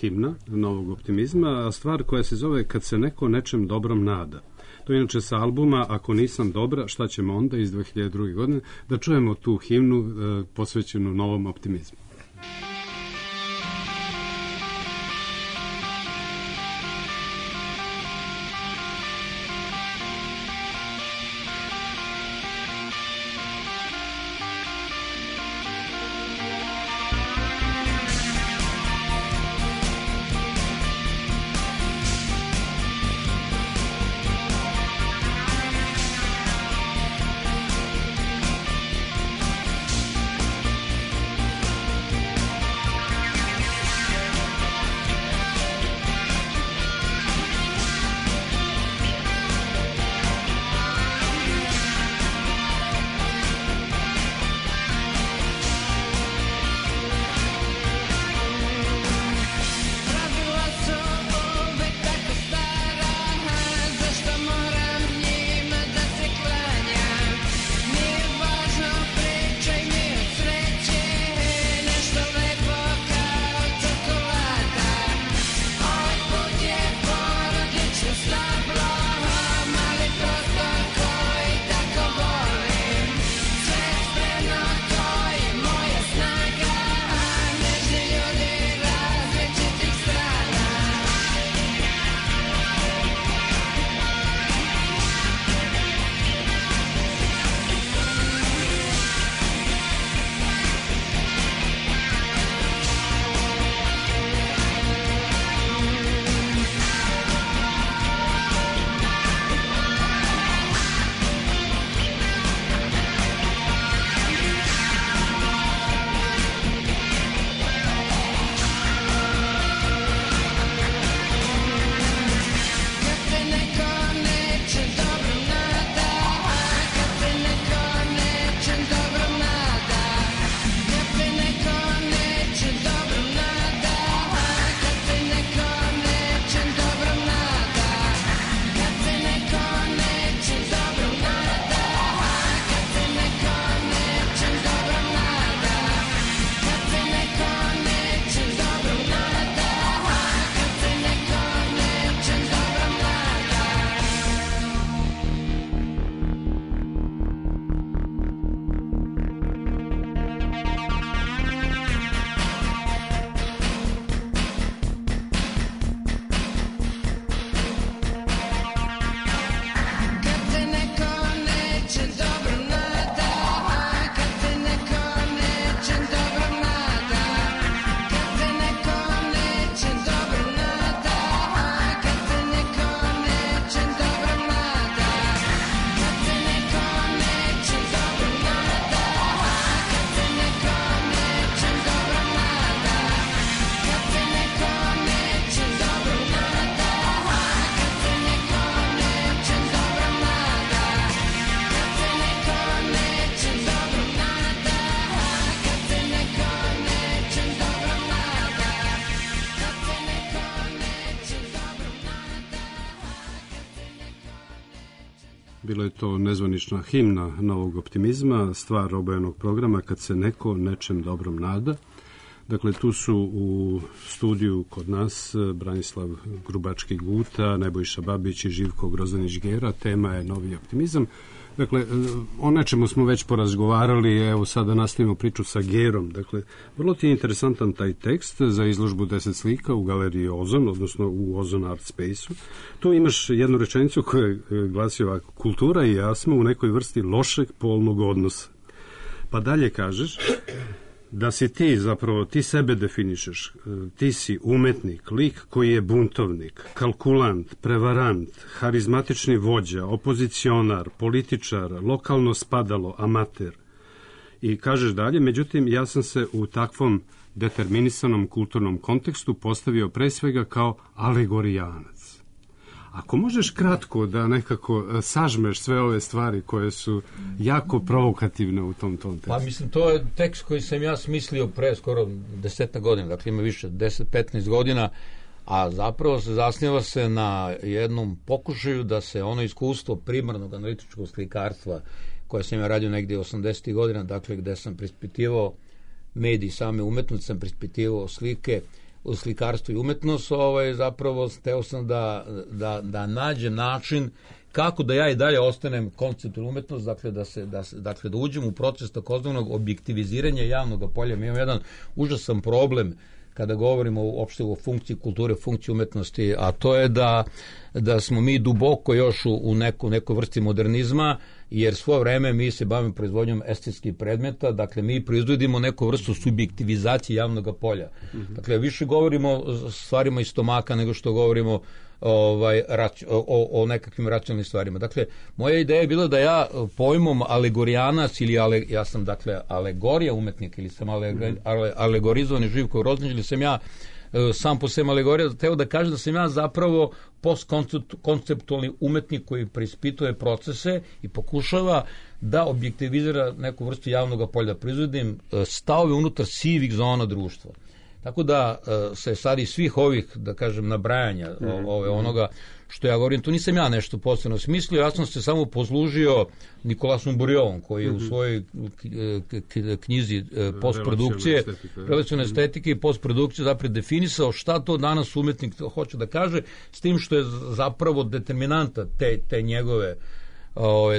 Speaker 3: himna novog optimizma, a stvar koja se zove Kad se neko nečem dobrom nada. To je inače sa albuma Ako nisam dobra, šta ćemo onda, iz 2002. godine, da čujemo tu himnu posvećenu novom optimizmu. bila je to nezvanična himna novog optimizma, stvar obojenog programa Kad se neko nečem dobrom nada. Dakle, tu su u studiju kod nas Branislav Grubački-Guta, Nebojša Babić i Živko Grozdanić-Gera. Tema je novi optimizam. Dakle, o nečemu smo već porazgovarali, evo sada nastavimo priču sa Gerom. Dakle, vrlo ti je interesantan taj tekst za izložbu 10 slika u galeriji Ozon, odnosno u Ozon Art Space-u. Tu imaš jednu rečenicu koja glasi ovako: kultura i ja smo u nekoj vrsti lošeg polnog odnosa. Pa dalje kažeš da si ti, zapravo ti sebe definišeš, ti si umetnik, lik koji je buntovnik, kalkulant, prevarant, harizmatični vođa, opozicionar, političar, lokalno spadalo, amater. I kažeš dalje, međutim, ja sam se u takvom determinisanom kulturnom kontekstu postavio pre svega kao alegorijanac. Ako možeš kratko da nekako sažmeš sve ove stvari koje su jako provokativne u tom tekstu.
Speaker 7: Pa mislim, to je tekst koji sam ja smislio pre skoro 10 godina, dakle ima više 10-15 godina, a zapravo se zasniva se na jednom pokušaju da se ono iskustvo primarnog analitičkog slikarstva koje sam ja radio negdje 80. godina, dakle gde sam prispitivao mediji same umetnosti, sam prispitivao slike, u slikarstvu i umetnost, zapravo teo sam da nađem način kako da ja i dalje ostanem konceptualna umetnost, dakle da uđem u proces takozvanog objektiviziranja javnog polja. Mi imamo jedan užasan problem kada govorimo uopšte o funkciji kulture, funkciji umetnosti, a to je da smo mi duboko još u nekoj vrsti modernizma, jer svo vreme mi se bavimo proizvodnjom estetskih predmeta, dakle mi proizvodimo neku vrstu subjektivizacije javnog polja. Dakle, više govorimo o stvarima iz stomaka nego što govorimo o nekakvim racionalnim stvarima. Dakle, moja ideja je bila da ja pojmom alegorijanac ili ja sam dakle alegorija umetnika ili sam alegorizovani Živko Grozdanić ili sam ja sam po sebi alegorija, teo da kažem da sam ja zapravo postkonceptualni umetnik koji preispituje procese i pokušava da objektivizira neku vrstu javnog polja, da proizvodim stavove unutar sivih zona društva. Tako da se sad iz svih ovih, da kažem, nabrajanja onoga što ja govorim, tu nisam ja nešto posebno smislio, ja sam se samo poslužio Nikolasom Burjovom, koji je u svojoj knjizi postprodukcije, relacione estetike i postprodukcije zapravo definisao šta to danas umetnik hoće da kaže, s tim što je zapravo determinanta te njegove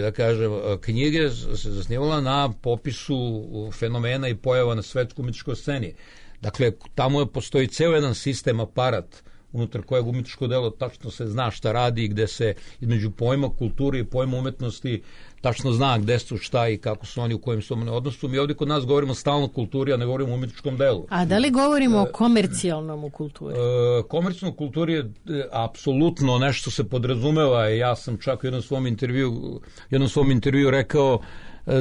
Speaker 7: da kažem, knjige se zasnivala na popisu fenomena i pojava na svetskoj umetničkoj sceni. Dakle, tamo postoji ceo jedan sistem, aparat, unutar kojeg umetničko delo tačno se zna šta radi i gde se između pojma kulture i pojma umetnosti tačno zna gde su šta i kako su oni, u kojem su oni odnosu. Mi ovdje kod nas govorimo stalno o kulturi, a ne govorimo o umetničkom delu.
Speaker 2: A da li govorimo o komercijalnom u kulturi?
Speaker 7: Komercijalno u kulturi je apsolutno nešto se podrazumeva. Ja sam čak u jednom svom intervju rekao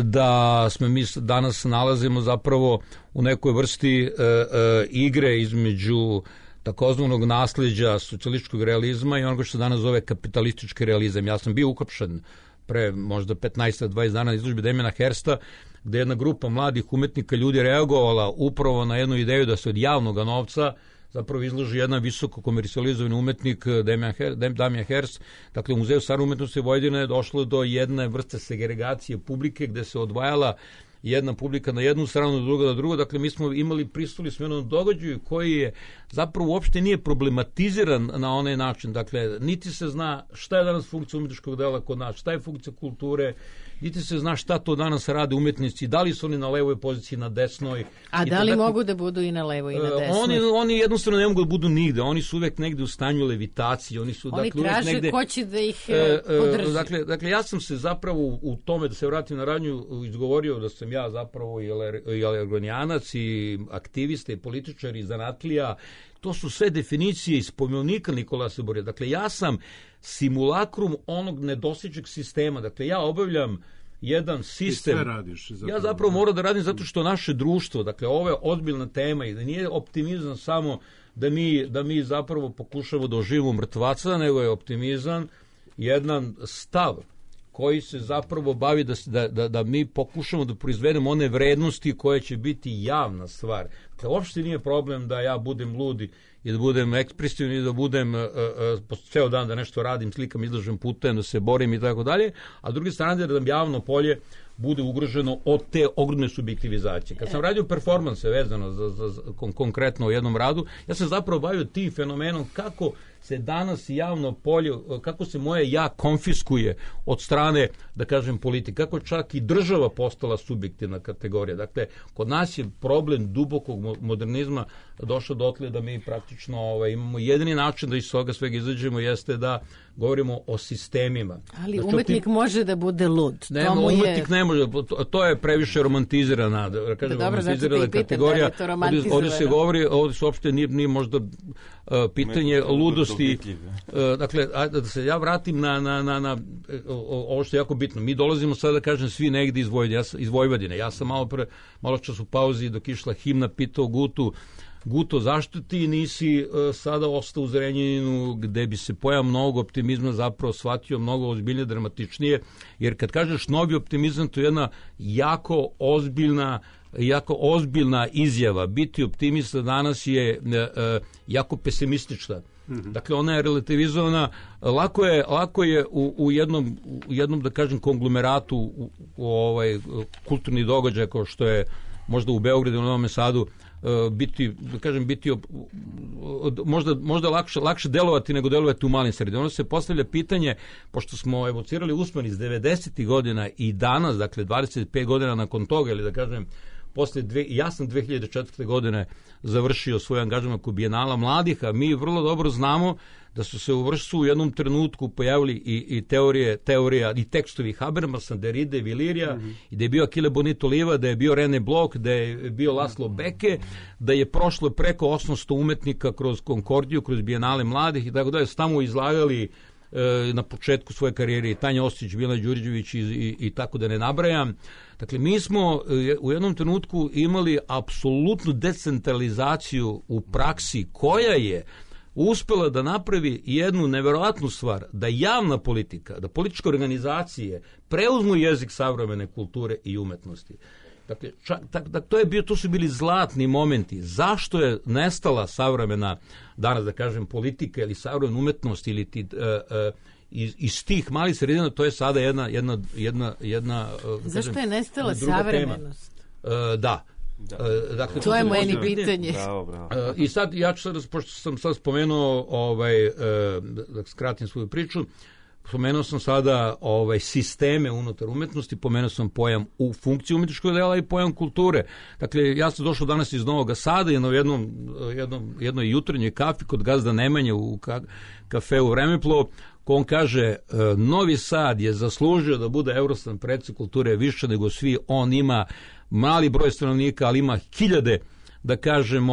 Speaker 7: da smo mi danas nalazimo zapravo u nekoj vrsti igre između takozvanog nasleđa socijalističkog realizma i onoga što se danas zove kapitalistički realizam. Ja sam bio uhapšen pre možda 15-20 dana na izložbi Damijana Hirsta, gde jedna grupa mladih umetnika ljudi reagovala upravo na jednu ideju da se od javnog novca zapravo izloži jedan visoko komercijalizovani umetnik Damjan Hirst. Dakle, u Muzeju savremene umetnosti Vojvodine je došlo do jedne vrste segregacije publike gde se odvajala jedna publika na jednu stranu, druga na drugu. Dakle, mi smo pristupili smo jednom događaju koji je zapravo uopšte nije problematiziran na onaj način. Dakle, niti se zna šta je danas funkcija umetničkog dela kod nas, šta je funkcija kulture, niti se zna šta to danas rade umetnici, da li su oni na levoj poziciji, na desnoj.
Speaker 2: A da li mogu da budu i na levoj i na desnoj?
Speaker 7: Oni jednostavno ne mogu da budu nigde. Oni su uvek negde u stanju levitacije. Oni
Speaker 2: traže negde, ko će da ih podrži.
Speaker 7: Dakle, ja sam se zapravo u tome, da se vratim na radnju, izgovorio da sam ja zapravo i alegorianac i aktivista i političar i zanatlija. To su sve definicije iz pojmovnika Nikolasa Burjova. Dakle, ja sam simulakrum onog nedostižnog sistema. Dakle, ja obavljam jedan sistem.
Speaker 3: Ti sve radiš.
Speaker 7: Ja zapravo moram da radim zato što naše društvo, dakle, ovo je ozbiljna tema i da nije optimizam samo da mi zapravo pokušamo da oživimo mrtvaca, nego je optimizam jedan stav koji se zapravo bavi da mi pokušamo da proizvedemo one vrednosti koje će biti javna stvar. Dakle, uopšte nije problem da ja budem ludi i da budem ekspresivan i da budem ceo dan da nešto radim, slikam, izlažem, putujem, da se borim i tako dalje, a s druge strane da nam javno polje bude ugroženo od te ogromne subjektivizacije. Kad sam radio performanse vezano za konkretno u jednom radu, ja sam zapravo bavio tim fenomenom kako se danas javno polje, kako se moje ja konfiskuje od strane, da kažem, politike, kako čak i država postala subjektivna kategorija. Dakle, kod nas je problem dubokog modernizma došao dotle da mi praktično imamo jedini način da iz toga svega izađemo jeste da govorimo o sistemima.
Speaker 2: Ali umetnik može da bude lud.
Speaker 7: Umetnik ne može, to je previše romantizirana, da kažem, romantizirana kategorija. Ovdje se govori, ovdje se uopšte nije možda pitanje ludosti. Dakle, da se ja vratim na ovo što je jako bitno. Mi dolazimo sada, da kažem, svi negdje iz Vojvodine. Ja sam malo čas u pauzi dok išla himna pitao Guto, zašto ti nisi sada ostao u Zrenjaninu gde bi se pojam novog optimizma zapravo shvatio mnogo ozbiljnije, dramatičnije, jer kad kažeš novi optimizam, to je jedna jako ozbiljna izjava. Biti optimista danas je jako pesimistična. Dakle, ona je relativizovana. Lako je u jednom, da kažem, konglomeratu kulturni događaj kao što je možda u Beogradu, u Novom Sadu, biti možda lakše delovati nego delovati u malim sredinama. Ono se postavlja pitanje, pošto smo evocirali uspon iz 90. godina i danas, dakle 25 godina nakon toga, ili da kažem, ja sam 2004. godine završio svoj angažman kod Bijenala mladih, a mi vrlo dobro znamo da su se u vrstu u jednom trenutku pojavili i teorija i tekstovi Habermasa, Derride, Vilirija, i da je bio Achille Bonito Oliva, da je bio René Bloch, da je bio Laszlo Beke, da je prošlo preko 800 umetnika kroz Konkordiju, kroz Bijenale mladih i tako da je tamo izlagali na početku svoje karijere i Tanja Ostić, Mila Đurđević i tako da ne nabrajam. Dakle, mi smo u jednom trenutku imali apsolutnu decentralizaciju u praksi koja je uspela da napravi jednu neverovatnu stvar, da javna politika, da političke organizacije preuzmu jezik savremene kulture i umetnosti. Dakle, to su bili zlatni momenti. Zašto je nestala savremena, danas da kažem, politika ili savremena umetnost ili iz tih malih sredina, to je sada jedna
Speaker 2: zašto je nestala savremenost?
Speaker 7: Da.
Speaker 2: Dakle, to je moje pitanje.
Speaker 7: I sad, ja ću sad, pošto sam sad spomenuo, da skratim svoju priču, spomenuo sam sada sisteme unutar umetnosti, pomenuo sam pojam u funkciji umetničkog dela i pojam kulture. Dakle, ja sam došao danas iz Novog Sada i na jednoj jutarnjoj kafi kod gazda Nemanje u kafeu Vremeplo, ko on kaže, Novi Sad je zaslužio da bude Eurostan predsjednik kulture više nego svi, on ima mali broj stanovnika, ali ima hiljade, da kažem,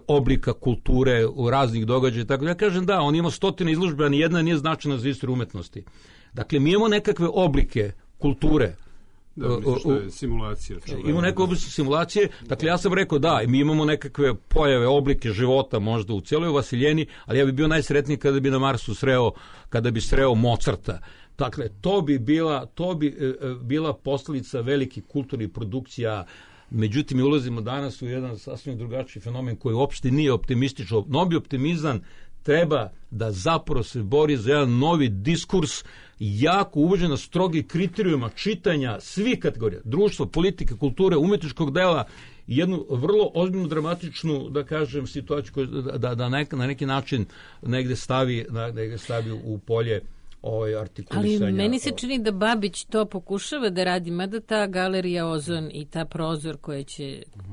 Speaker 7: oblika kulture u raznih događaja. Tako ja kažem, da, on ima 100 izložbe, a ni jedna nije značajna za istoriju umetnosti. Dakle, mi imamo nekakve oblike kulture.
Speaker 3: Da, misliš što je simulacija.
Speaker 7: Imamo neke oblike simulacije. Dakle, ja sam rekao, da, mi imamo nekakve pojave, oblike života možda u cijeloj Vasiljeni, ali ja bi bio najsretniji kada bi na Marsu sreo Mozarta. Dakle, to bi bila posljedica velikih kulturnih produkcija. Međutim, mi ulazimo danas u jedan sasvim drugačiji fenomen koji uopšte nije optimističan. Novi optimizam treba da zapravo se bori za jedan novi diskurs, jako uvođen na strogi kriterijuma čitanja svih kategorija, društva, politike, kulture, umetničkog dela, jednu vrlo ozbiljnu, dramatičnu, da kažem, situaciju da na neki način negde stavi u polje artikulisanja.
Speaker 2: Ali meni se čini da Babić to pokušava da radi, mada ta galerija Ozon i ta prozor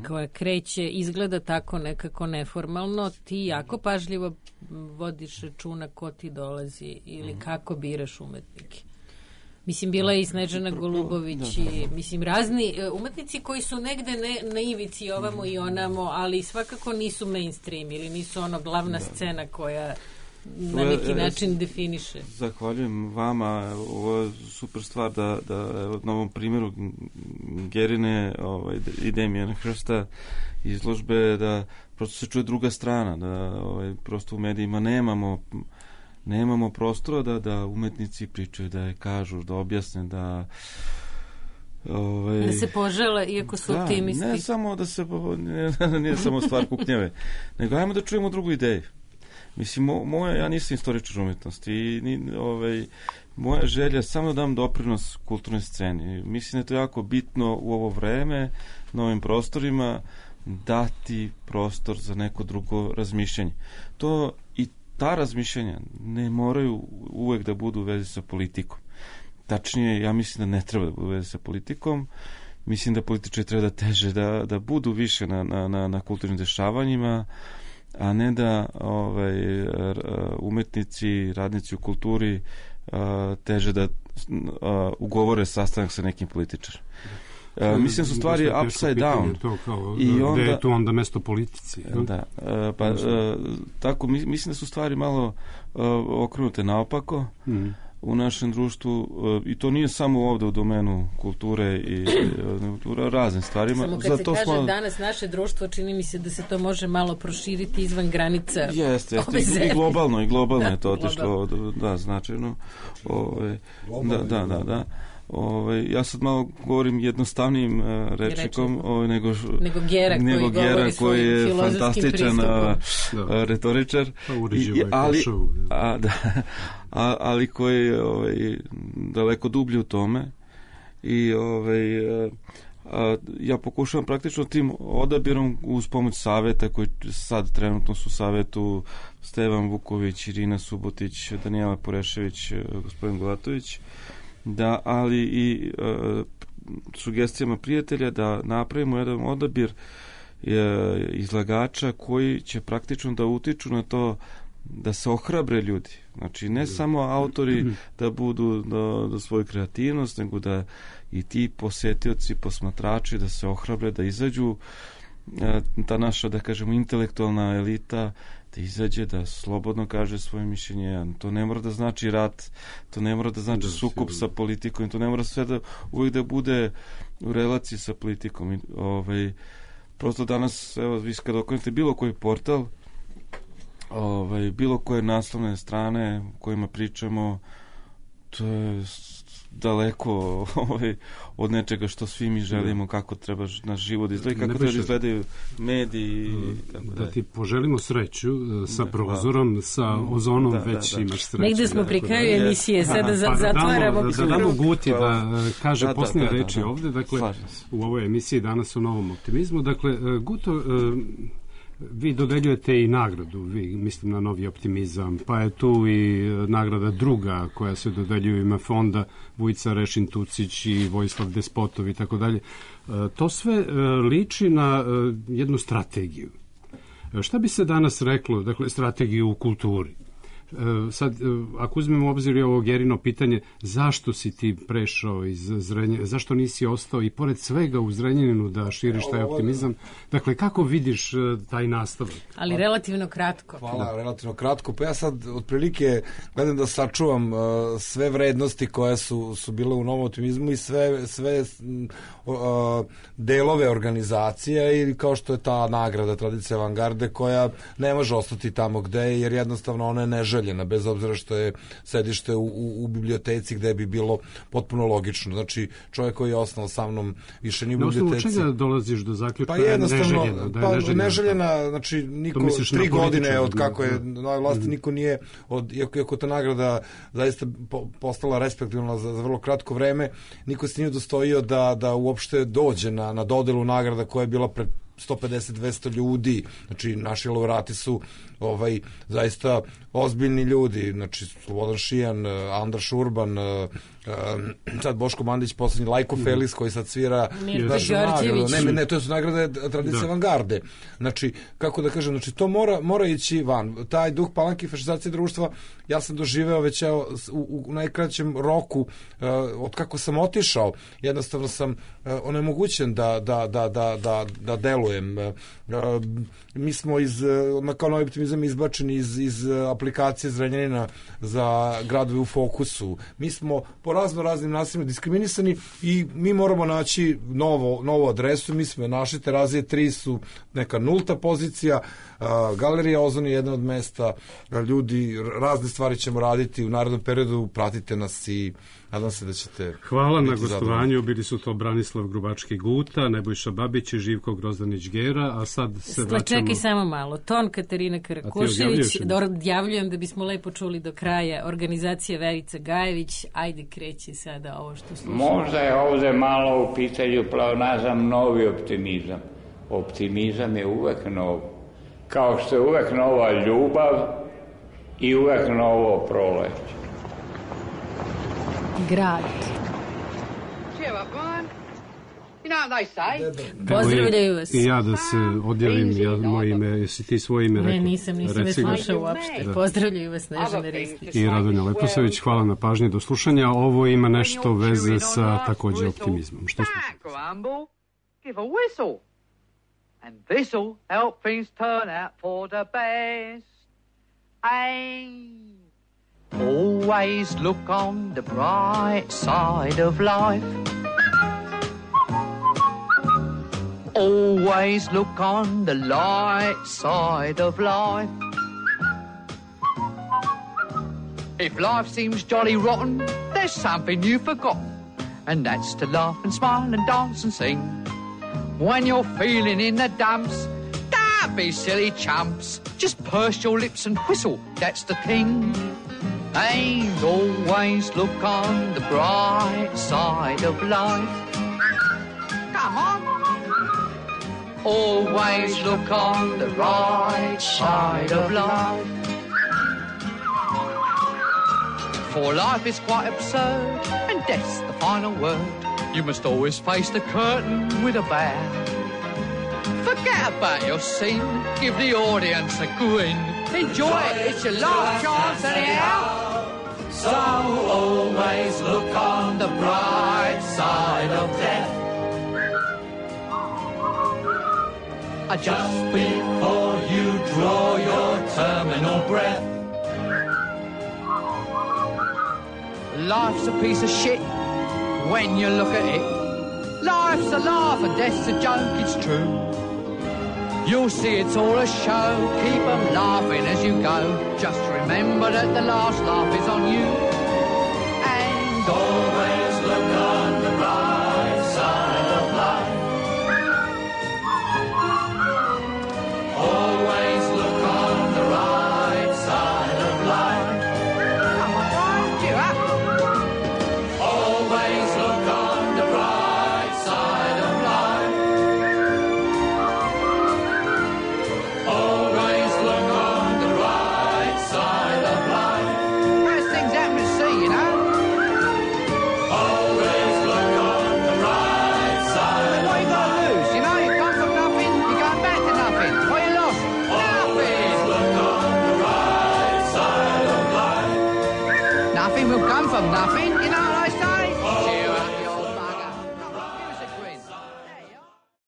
Speaker 2: koja kreće izgleda tako nekako neformalno, ti jako pažljivo vodiš računa ko ti dolazi ili kako biraš umetnike. Mislim, bila je i Snežana Golubović i, mislim, razni umetnici koji su negde na ivici ovamo i onamo, ali svakako nisu mainstream ili nisu glavna scena koja na neki način definiše.
Speaker 5: Zahvaljujem vama, ovo je super stvar da na ovom primjeru Gerine i Damijana Hrsta izložbe da prosto se čuje druga strana, da prosto u medijima nemamo Nemamo prostora da umetnici pričaju, da je kažu, da objasne, da
Speaker 2: se požele, iako su optimisti.
Speaker 5: Ne samo da se nije samo stvar kuknjeve, nego ajmo da čujemo drugu ideju. Mislim, ja nisam istoričar umetnosti i moja želja je samo da dam doprinos kulturnoj sceni. Mislim da je to jako bitno u ovo vreme, na ovim prostorima, dati prostor za neko drugo razmišljanje. I ta razmišljanja ne moraju uvek da budu u vezi sa politikom. Tačnije, ja mislim da ne treba da budu u vezi sa politikom. Mislim da političari treba da teže, da budu više na kulturnim dešavanjima, a ne da umetnici, radnici u kulturi teže da ugovore sastanak sa nekim političarom. Mislim su stvari upside down.
Speaker 3: Gde je tu onda mesto politici?
Speaker 5: Da, tako, mislim da su stvari malo okrenute naopako u našem društvu, i to nije samo ovde u domenu kulture i raznim stvarima.
Speaker 2: Samo kad se kaže danas naše društvo, čini mi se da se to može malo proširiti izvan granica.
Speaker 5: Jeste, i globalno je to otišlo, značajno. Da. Ja sad malo govorim jednostavnnim rečnikom nego Gera koji je fantastičan retoričar, ali koji je daleko dublji u tome, i ja pokušavam praktično tim odabirom uz pomoć saveta koji sad trenutno su u savetu Stevan Vuković, Irina Subotić, Danijela Porešević, gospodin Gulatović, ali i sugestijama prijatelja da napravimo jedan odabir izlagača koji će praktično da utiču na to da se ohrabre ljudi. Znači, ne samo autori da budu da svoju kreativnost, nego da i ti posetioci, posmatrači da se ohrabre, da izađu, ta naša, da kažemo, intelektualna elita da izađe, da slobodno kaže svoje mišljenje. To ne mora da znači rat, to ne mora da znači sukob sa politikom, to ne mora sve da uvijek da bude u relaciji sa politikom. Prosto danas, evo, vi kad okrenete bilo koji portal, bilo koje naslovne strane u kojima pričamo, to je daleko od nečega što svi mi želimo, kako treba naš život izgledati, kako treba izgledaju mediji.
Speaker 3: Da ti poželimo sreću sa prozorom, sa ozonom već imaš sreću.
Speaker 2: Negde smo pri kraju emisije, sada zatvaramo.
Speaker 3: Da damo Guti da kaže posljednje reči ovde, dakle, u ovoj emisiji danas o novom optimizmu. Dakle, Guto, vi dodeljujete i nagradu, vi mislim na Novi optimizam, pa je tu i nagrada druga koja se dodeljuje ima fonda Vujica Rešin Tucić i Vojislav Despotov i tako dalje. To sve liči na jednu strategiju. Šta bi se danas reklo, dakle, strategiju u kulturi? Sad, ako uzmemo u obzir ovo Gerino pitanje, zašto si ti prešao iz Zrenjanina, zašto nisi ostao i pored svega u Zrenjaninu da širiš taj optimizam? Dakle, kako vidiš taj nastavak?
Speaker 2: Ali relativno kratko.
Speaker 6: Hvala, relativno kratko. Pa ja sad otprilike gledam da sačuvam sve vrednosti koje su bile u novom optimizmu i sve delove organizacije, ili kao što je ta nagrada Tradicija avangarde koja ne može ostati tamo gde je, jer jednostavno ona je neželjena, bez obzira što je sedište u biblioteci gde bi bilo potpuno logično. Znači, čovjek koji je osnovao sa mnom više ni u biblioteci.
Speaker 3: Na osnovu čega dolaziš do zaključka?
Speaker 6: Pa jednostavno, neželjena, znači, niko 3 godine od kako je na vlasti, niko nije, iako ta nagrada zaista postala respektabilna za vrlo kratko vreme, niko se nije dostojio da uopšte dođe na dodelu nagrada koja je bila pred 150-200 ljudi. Znači, naši laureati su zaista ozbiljni ljudi, znači Slobodan Šijan, Andra Šurban, sad Boško Mandić, poslednji Lajko Felis koji sad svira našu nagradu. Ne, to su nagrade Tradicije avangarde. Znači, kako da kažem, znači to mora ići van. Taj duh palanke i fašizacije društva ja sam doživeo već u najkraćem roku od kako sam otišao. Jednostavno sam onemogućen da delujem. delujem. Mi smo kao Novi optimizam izbačeni iz aplikacije Zrenjanina za gradove u fokusu. Mi smo po raznim nasilima diskriminisani i mi moramo naći novu adresu. Mi smo našli, Terazije 3 su neka nulta pozicija, Galerija Ozon je jedna od mesta, ljudi, razne stvari ćemo raditi u narednom periodu, pratite nas i nadam se da ćete...
Speaker 3: Hvala na gostovanju, bili su to Branislav Grubački-Guta, Nebojša Babić i Živko Grozdanić-Gera, a sad se vraćamo...
Speaker 2: Čekaj samo malo, ton Katarina Karakušević, odjavljujem da bismo lepo čuli do kraja, organizacija Verica Gajević, ajde kreći sada ovo što slušamo.
Speaker 4: Možda je ovde malo u pitanju pleonazam, novi optimizam. Optimizam je uvek nov. Kao što je uvek nova ljubav i uvek novo proleće.
Speaker 2: Grad. Pozdravljaju vas.
Speaker 3: I ja da se odjavim, moje ime, jesi ti svoje ime rekao?
Speaker 2: Ne, nisam me slušao uopšte. Pozdravljaju vas Snežana Ristić.
Speaker 3: I Radonja Leposavić, hvala na pažnji do slušanja. Ovo ima nešto veze sa takođe optimizmom. Što slušamo?
Speaker 8: And this'll help things turn out for the best. Always look on the bright side of life. Always look on the light side of life. If life seems jolly rotten, there's something you've forgotten, and that's to laugh and smile and dance and sing. When you're feeling in the dumps, don't be silly chumps. Just purse your lips and whistle, that's the thing. And always look on the bright side of life. Come on. Always look on the right side of life. For life is quite absurd, and death's the final word. You must always face the curtain with a bow. Forget about your scene, give the audience a grin. Enjoy it, it's your last chance anyhow. So always look on the bright side of death. Just before you draw your terminal breath. Life's a piece of shit when you look at it. Life's a laugh and death's a joke, it's true. You'll see it's all a show, keep them laughing as you go. Just remember that the last laugh is on you. And always look on the right side of life. Always look on the right side of life. Come on, Brian, cheer up. Always look on the right side of life. Always look on the right side of life. First things happen to see, you know. Always look on the right side. What you got to lose? You know, you come from nothing, you're going back to nothing. What you lost? Always look on the right side of life. Nothing will come from nothing.